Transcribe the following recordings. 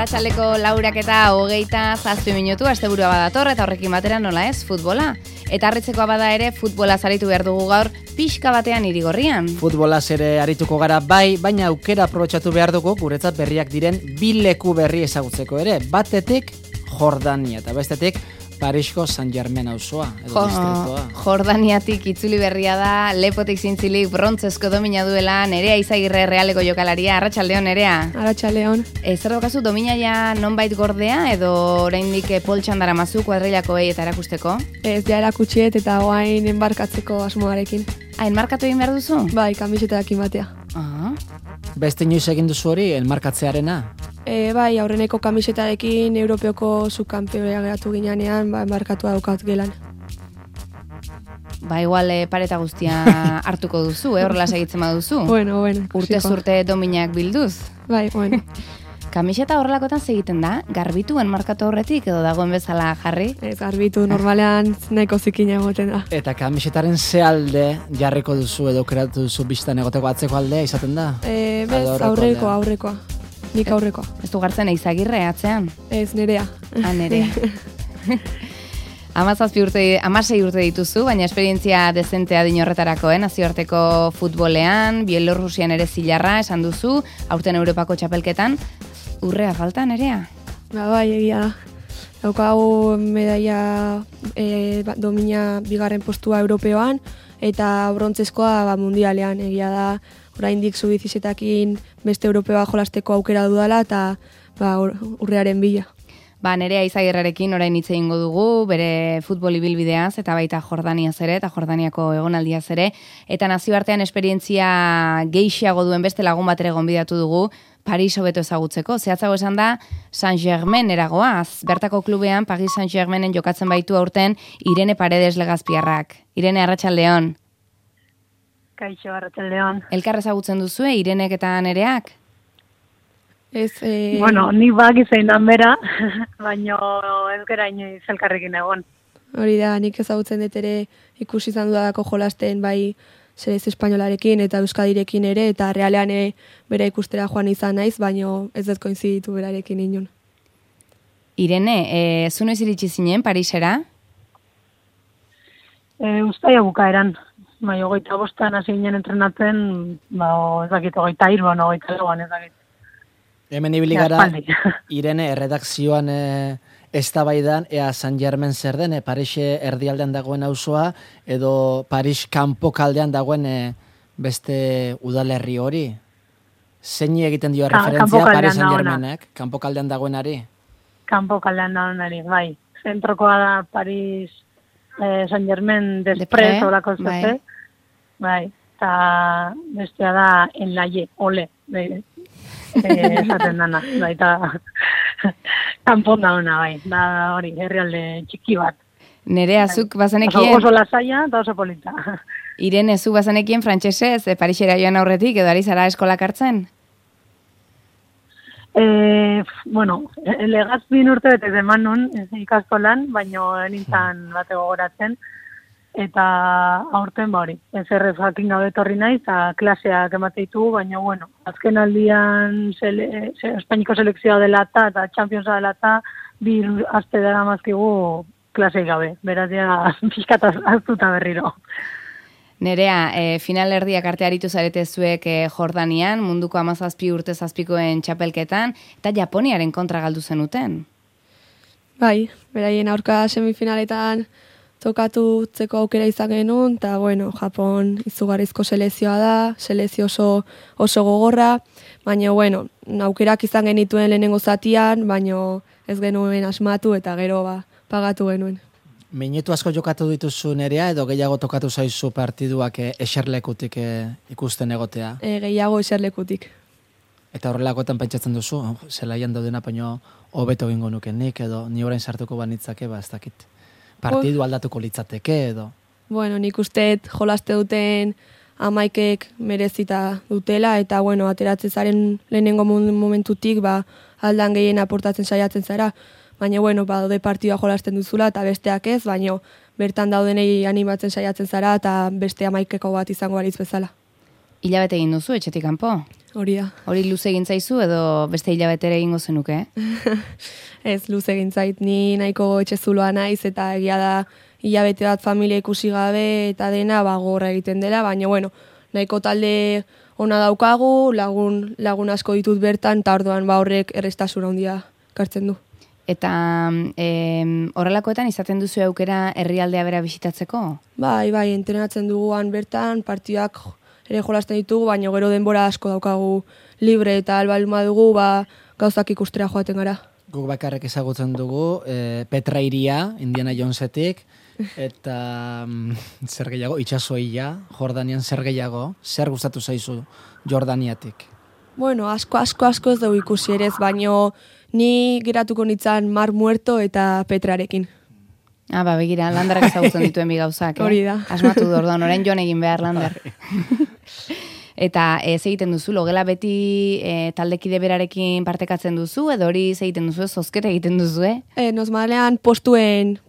Arratsaldeko 4:27 minutu, asteburua badator eta horrekin batera nola ez, futbola. Eta harritzekoa bada ere, futbola aritu behar dugu gaur pixka batean Irigorrian. Futbolaz ere arituko gara bai, baina aukera aprobetxatu behar dugu guretzat berriak diren bi leku berri ezagutzeko ere. Batetik Jordania eta bestetik Parisko Saint-Germain auzoa edo distritoa. Jordaniatik itzuli berria da, Lepotik zintzilik brontzesko domina duela Nerea Izagirre Realeko jokalaria. Arratsaldeon Nerea. Arratsaldeon. Zer daukazu domina ja nonbait gordea edo oraindik poltsan daramazu kuadrilakoei eta erakusteko? Ez, ja erakutsiet eta oain enbarkatzeko asmoarekin. Enmarkatu egin behar duzu? Bai, kamisetarekin batea. Beste inoiz egin duzu hori, enmarkatzearena? Bai, aurreneko kamisetarekin Europeoko subkanpioia geratu ginean, enmarkatua daukat gelan. Ba, igual pareta guztia hartuko duzu, horrela segitzen baduzu. Bueno. Urte dominak bilduz. Bai, bueno. Kamiseta horrelakotan segiten da, garbitu enmarkatu horretik edo dagoen bezala jarri? Ez, garbitu, normalean nahiko zikina egoten da. Eta kamisetaren ze alde jarriko duzu edo kreatu duzu bistan egoteko atzeko aldea izaten da? Bez, aurrekoa. Nik aurrekoa. Ez du gartzen Izagirre atzean? Ez, Nerea. Nerea. 16 urte dituzu, baina esperientzia dezentea dinorretarako, nazioarteko futbolean, Bielorrusian ere zilarra, esan duzu, aurten Europako txapelketan, urrea falta, Nerea? Bai, egia da. Daukagu medaia domina bigarren postua Europeoan, eta brontzeskoa mundialean, egia da, oraindik sub-17ekin beste Europeoa jolasteko aukera dudala, eta urrearen bila. Nerea Izagirrerekin orain hitz egingo dugu, bere futbol ibilbideaz eta baita Jordaniaz ere, eta Jordaniako egonaldiaz ere, eta nazioartean esperientzia gehiago duen beste lagun bat ere gonbidatu dugu, Paris hobeto ezagutzeko. Zehatzago esan da, Saint-Germain eragoaz. Bertako klubean, Paris Saint-Germainen jokatzen baitu aurten Irene Paredes Legazpiarrak. Irene, arratsaldeon. Kaixo, arratsaldeon. Elkar ezagutzen duzue, Irenek eta Nereak? Ez, Bueno, ni baki zein dan bera, baina ez gara inoiz elkarrekin egon. Hori da, nik ezagutzen dut ere ikusi izan dudalako jolasten bai selezio espainolarekin eta euskadirekin ere, eta realean bera ikustera joan izan naiz, baina ez dut koinziditu berarekin inon. Irene, zu noiz iritsi zinen Parisera? Uztaia bukaeran. Bai, 25 hasi ginen entrenatzen, ez dakit 23, 24, ez dakit. Hemen ibili gara, Irene, erredakzioan eztabaidan, ea Saint-Germain zer den, Paris erdialdean dagoen auzoa, edo Paris kanpokaldean dagoen beste udalerri hori? Zein egiten dio referentzia Paris Saint-Germainek, kanpokaldean dagoenari? Kanpokaldean dagoenari, bai. Zentrokoa da Paris Saint-Germain desprez, horako zute. Bai, eta bestea da Enlaie, ole, esaten dana, eta kanpon da ona, bai, da hori, herrialde txiki bat. Nerea, zuk bazenekien... Oso lasaia eta oso polita. Irene, zuk bazenekien frantsesez, Parisera joan aurretik, edo ari zara eskolak hartzen? Bueno, Legazpin urte bete eman nun, ikastolan, baina nintzen bate gogoratzen, eta aurten hori, ez errefakin gabe etorri naiz, eta klaseak emateitu, baina bueno, azken aldian Espainiko selekzioa dela eta Championsa dela eta 2 aste dara mazkigu klasei gabe, beraz ja pixkat aztuta berriro. Nerea, finalerdiak arte aritu zarete zuek Jordanian, munduko 17 urte zazpikoen txapelketan, eta Japoniaren kontra galdu zenuten. Bai, beraien aurka semifinaletan tokatutzeko aukera izan genuen, eta bueno, Japon izugarrizko selezioa da, selezio oso gogorra, baina bueno, aukerak izan genituen lehenengo zatian, baina ez genuen asmatu eta gero pagatu genuen. Minutu asko jokatu dituzu Nerea, edo gehiago tokatu zaizu partiduak eserlekutik ikusten egotea? Gehiago eserlekutik. Eta horrelakoetan pentsatzen duzu, zelaian daudena baino hobeto egingo nuke nik, edo ni orain sartuko banitzake, ez dakit. Partidu aldatuko litzateke, edo? Bueno, nik usteet jolaste duten amaikek merezita dutela, eta bueno, ateratzen zaren lehenengo momentutik, aldan gehien aportatzen saiatzen zara, baina bueno, daude partidua jolasten duzula, eta besteak ez, baina bertan daudenei animatzen saiatzen zara, eta beste amaikeko bat izango balitz bezala. Hilabete egin duzu, etxetik kanpo? hori da. Hori luze egin zaizu edo beste hilabetere egingo zenuke? Ez, luze egin zait, ni nahiko etxezuloa naiz eta egia da hilabete bat familia ikusi gabe eta dena gogorra egiten dela, baina bueno, nahiko talde ona daukagu, lagun asko ditut bertan, eta orduan horrek errestasuna handia kartzen du. Eta horrelakoetan izaten duzu aukera herrialdea bera bisitatzeko? Bai, entrenatzen duguan bertan, partidak ere jolasten ditugu, baina gero denbora asko daukagu libre eta albalma dugu, gauzak ikustera joaten gara. Guk bakarrek ezagutzen dugu, Petra Iria, Indiana Jonesetik, eta zer gehiago, itxasoia, Jordanian zer gehiago, zer gustatu zaizu Jordaniatik? Bueno, asko ez dugu ikusi ere, baino ni geratuko nintzen Mar Muerto eta Petrarekin. Begira, Landerrak ezagutzen dituen bi gauzak, Hori da. Asmatu du, orduan, orain joan egin behar Lander. Eta ez egiten duzu, logela beti taldekide berarekin partekatzen duzu, edo hori ez egiten duzu, zozketa egiten duzu, Normalean postuen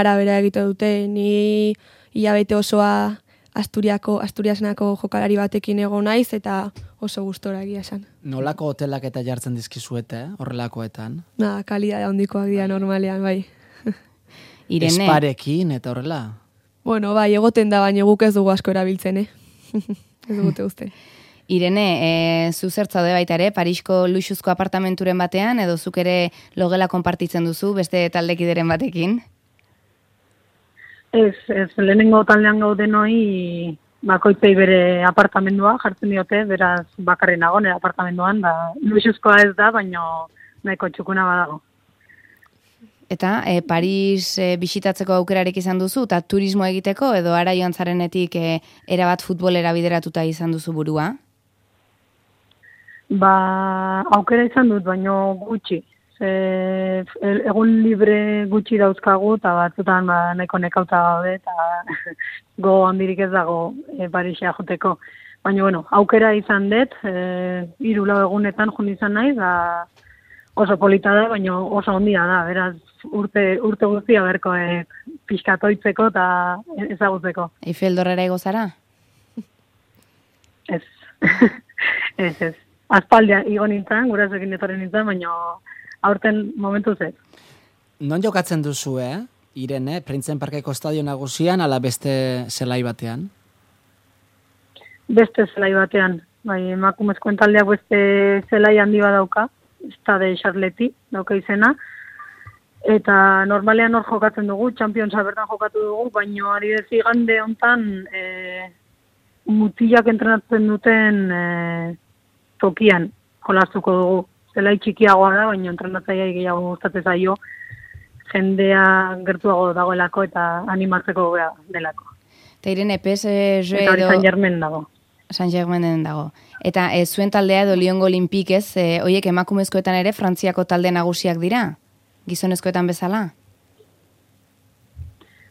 arabera egiten dute, ni hilabete osoa Asturiasnako jokalari batekin egon naiz, eta oso gustora egia esan. Nolako hotelak eta jartzen dizkizuete, horrelakoetan? Kalidade handikoak dira normalean, bai. Irene. Esparekin eta horrela? Bueno, bai, egoten da, baina guk ez dugu asko erabiltzen, Ez dugute uste. Irene, zu zertzaude baita ere, Parisko luxuzko apartamenturen batean, edo zuk ere logela konpartitzen duzu, beste taldekideren batekin? Ez, lehenengo taldean gaudenoi bakoitzei bere apartamendua jartzen diote, beraz bakarri nago nire apartamenduan, luxuzkoa ez da, baina nahiko txukuna badago. Eta Paris bisitatzeko aukerarik izan duzu, eta turismo egiteko, edo ara joan zarenetik erabat futbolera bideratuta izan duzu burua? Aukera izan dut, baina gutxi. Egun libre gutxi dauzkagu, eta batzutan nahiko nekauta gaude, eta go handirik ez dago Parisea joteko. Baina, bueno, aukera izan dut, 3-4 egunetan joan izan naiz, oso polita da, baina oso handia da, beraz urte guztia berko pixkatoitzeko eta ezagutzeko. Eiffel Dorrera igo zara? Ez. Ez. Aspaldia igo nintzen, gurasoekin etorri nintzen, baina aurten momentu zez. Non jokatzen duzu, Irene, Printzen Parkeko estadio nagusian, ala beste zelai batean? Beste zelai batean. Bai, emakumezkoen taldeak beste zelai handi badauka, Stade Charleti, dauka izena. Eta normalean hor jokatzen dugu, Championsa bertan jokatu dugu, baina ari dezi igande hontan mutilak entrenatzen duten tokian jolastuko dugu. Zelai txikiagoa da, baina entrenatzaia gehiago gustatzen zaio, jendea gertuago dagoelako eta animatzeko delako. Eta Irene, PSG eta hori San Germain dago. San Germainen dago. Eta zuen taldea edo Liongo Olimpikez, hoiek emakumezkoetan ere Frantziako talde nagusiak dira? Gizonezkoetan bezala?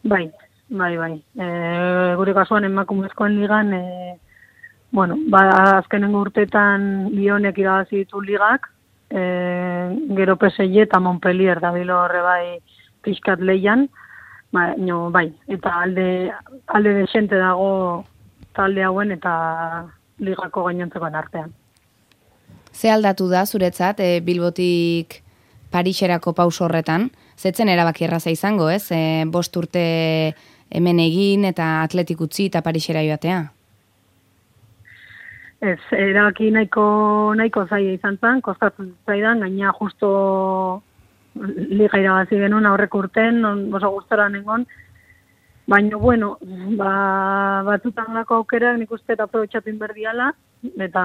Bai. Gure kasuan emakumezkoen ligan, azkenengo urteetan Lionek irabazi ditu ligak, gero PSG eta Montpellier dabilo horre bai pixkat leian, bai, eta alde desente dago talde hauen eta ligako gainontzekoen artean. Ze aldatu da zuretzat Bilbotik Pariserako pauso horretan? Zetzen erabaki erraza izango, ez? 5 urte hemen egin eta atletik utzi eta Parisera joatea? Ez, erabaki nahiko zaila izan zen, kostatzen zaidan, gaina justo liga irabazi genuen aurreko urten, oso gustora nengon, baina, bueno, batzutan lako aukerak nik uste eta aprobetxatin berdiala, eta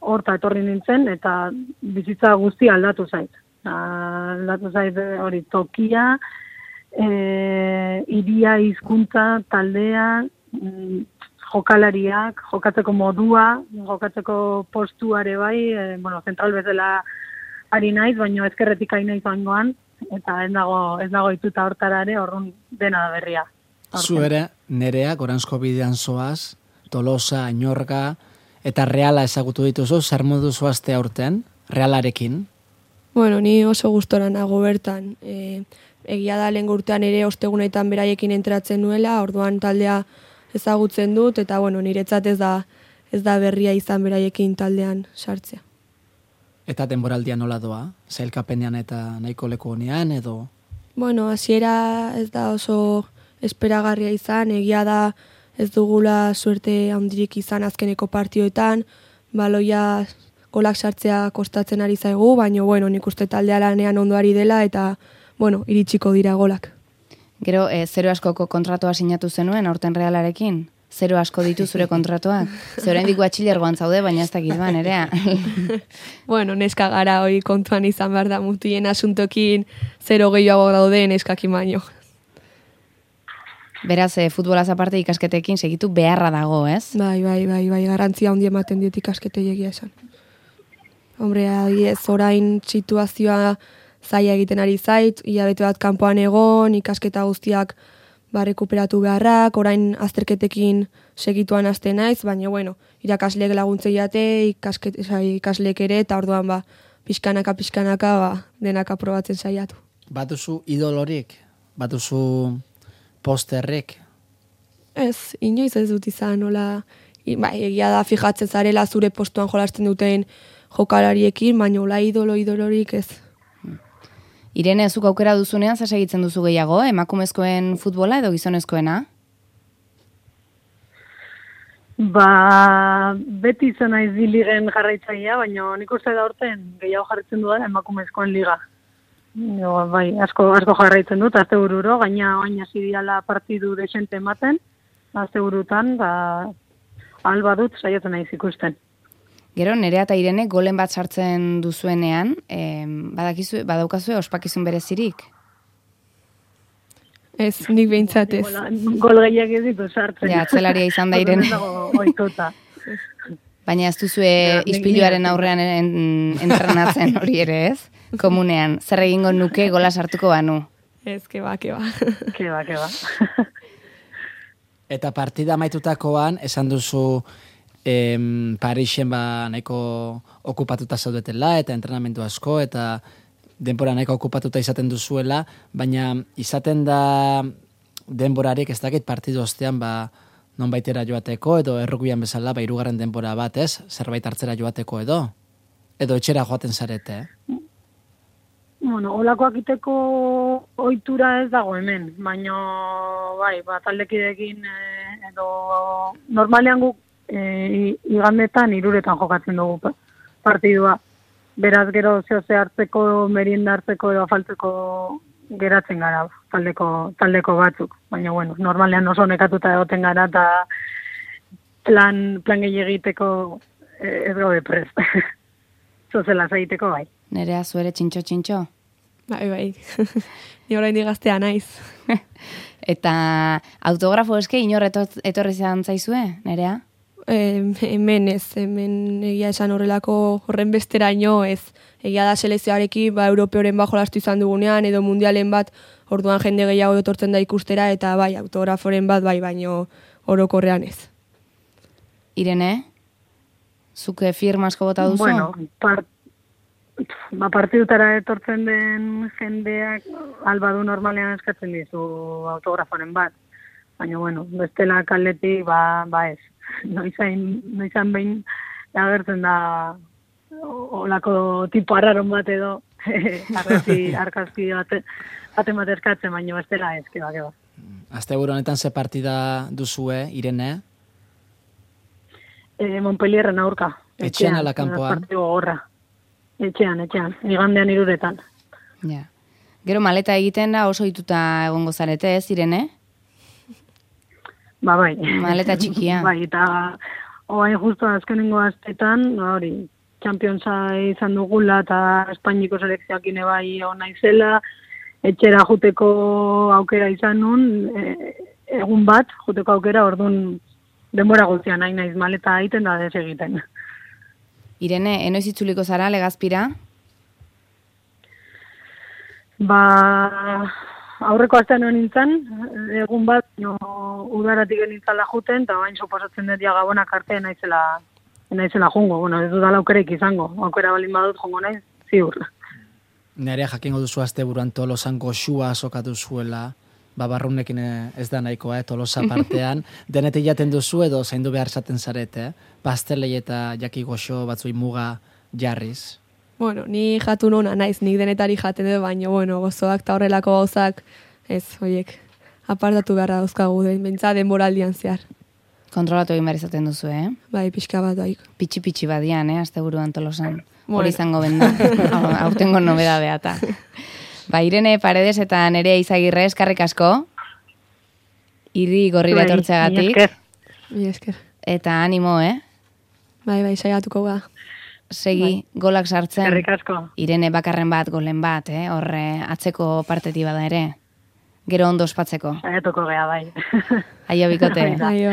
horta etorri nintzen, eta bizitza guztia aldatu zait. Aldatu zait hori tokia, iria, hizkuntza, taldea, jokalariak, jokatzeko modua, jokatzeko postuare bai, zentral bezala ari naiz, baina ezkerretik ari naiz oingoan, eta ez dago ituta hortara ere, horrun dena da berria. Zu ere, Nerea, Goranzko bidean zoaz, Tolosa, Añorga, eta Reala ezagutu dituzu, zer modu zoazte aurten, Realarekin? Bueno, ni oso gustora nago bertan. Egia da lehen urtean ere ostegunetan beraiekin entratzen nuela, orduan taldea ezagutzen dut, eta niretzat ez ez da berria izan beraiekin taldean sartzea. Eta denboraldia nola doa? Zailkapenean eta nahiko leku honean edo? Bueno, hasiera ez da oso esperagarria izan, egia da ez dugula suerte handirik izan azkeneko partioetan, baloia golak sartzea kostatzen ari zaigu, baina bueno, nik uste taldea lanean ondo ari dela eta bueno, iritsiko dira golak. Gero, 0 askoko kontratua sinatu zenuen aurten Realarekin? 0 asko ditu zure kontratuak? Oraindik batxilergoan zaude, baina ez dakit ba, Nerea. Bueno, neska gara hori kontuan izan behar da mutien asuntokin 0 gehiago daude neskakin baino. Beraz, futbolaz aparte ikasketekin segitu beharra dago, ez? Bai, garrantzia handi ematen diet ikasketei egia esan. Hombre, ez orain situazioa zaila egiten ari zait, hilabete bat kanpoan egon, ikasketa guztiak rekuperatu beharrak, orain azterketekin segituan haste naiz, baina bueno, irakasleek laguntzei jate, ikasleek ere, eta orduan pixkanaka denak aprobatzen saiatu. Batuzu idolorik? Batuzu posterrik? Ez, inoiz ez dut izan, nola, egia da fijatzen zarela zure postuan jolasten duten jokalariekin, baina hola idolorik ez. Irene, zuk aukera duzunean, zer segitzen duzu gehiago, emakumezkoen futbola edo gizonezkoena? Beti izan naiz bi ligen jarraitzailea, baina nik uste da horten gehiago jarritzen du da emakumezkoen liga. Bai, asko jarraitzen dut, azte bururo, gaina hasi diala partidu desente ematen, azte burutan, alba dut saiatzen naiz ikusten. Gero, Nerea eta Irene golen bat sartzen duzuenean, badaukazue ospakizun berezirik? Ez, nik behintzat ez. Gol gehiak ez ditu sartzen. Ja, atzelaria izan da Irene. Baina ez duzue ispiluaren aurrean entrenatzen hori ere ez? Komunean, zer egingo nuke gola sartuko banu? Ez, keba. Keba. Eta partida amaitutakoan, esan duzu Parisen nahiko okupatuta zaudetela eta entrenamendu asko eta denbora nahiko okupatuta izaten duzuela, baina izaten da denborarik ez dakit partidu ostean nonbaitera joateko edo errukuian bezala 3. denbora bat, ez? Zerbait hartzera joateko edo etxera joaten zarete, Bueno, olakoak iteko ohitura ez dago hemen, baina bai, taldekideekin edo normalean guk igandetan 3 jokatzen dugu partidua. Beraz gero zehose hartzeko, merienda hartzeko edo afaltzeko geratzen gara taldeko batzuk. Baina bueno, normalean oso nekatuta egoten gara eta plan gehi egiteko ez gaude prest. Zozela zaiteko bai. Nerea, zuere txintxo? Bai. Ni orain digaztea naiz. Eta autografo eske inor etorri izan zaizue, Nerea? Hemen egia esan horren besteraino ez. Egia da selezioarekin europeoren jolastu izan dugunean edo mundialen bat orduan jende gehiago etortzen da ikustera eta bai autograforen bat bai baino orokorrean ez. Irene, zuke firmasko bota duzu? Bueno, partidutara etortzen den jendeak albadu normalean eskatzen dizu autograforen bat. Baina bueno, bestela kaldetik ez. Noizan behin agertzen da olako tipo arraron bat edo arkazki baten bat eskatzen, baina bestela ez, keba. Asteburu honetan ze partida duzue, Irene? Montpellierren aurka. Etxean ala kanpoan? Partidu gogorra. Etxean. Igandean 3. Ja. Gero maleta egiten da oso ituta egongo zarete, ez, Irene? Bai. Maleta txikia. Bai, eta oain justu azkenengo astetan, hori, Championsa izan dugula eta Espainiko selekzioakin bai ona izela, etxera juteko aukera izan nun, egun bat juteko aukera, orduan denbora guztian nahi naiz maleta egiten da ez egiten. Irene, enoiz itzuliko zara Legazpira? Aurreko astean nintzen, egun bat, udaratik nintzala juten, eta bain suposatzen dut Gabonak arte naizela jungo. Bueno, ez dudala aukereik izango. Aukera balin badut jungo naiz, ziur. Nerea jakingo duzu asteburuan Tolosan goxua sokatu zuela, barrunekin ez da nahikoa, Tolosa partean, denetik jaten duzu edo zaindu behar zaten zarete, pastelei eta jaki goxo batzui muga jarriz. Bueno, ni jatu nona naiz, nik denetari jaten edo, baina, bueno, gozoak eta horrelako gauzak, ez, hoiek, apartatu beharra dauzkagu, bentsa denboraldian zehar. Kontrolatu egin behar izaten duzu, Bai, pixka bat bai. Pitxi badian, asteburuan Tolosan. Hori izango benda, aurtengo nobeda beata. Ba, Irene Paredes eta Nerea Izagirre, eskarrik asko, Irri Gorrira etortzeagatik. Mi esker. Eta animo, Bai, saiatuko ga. Segi, golak sartzen. Eskerrik asko. Irene bakarren bat, golen bat, horre atzeko parteti bada ere. Gero ondo ospatzeko. Saiatuko gea, bai. Aio bikote. Aio.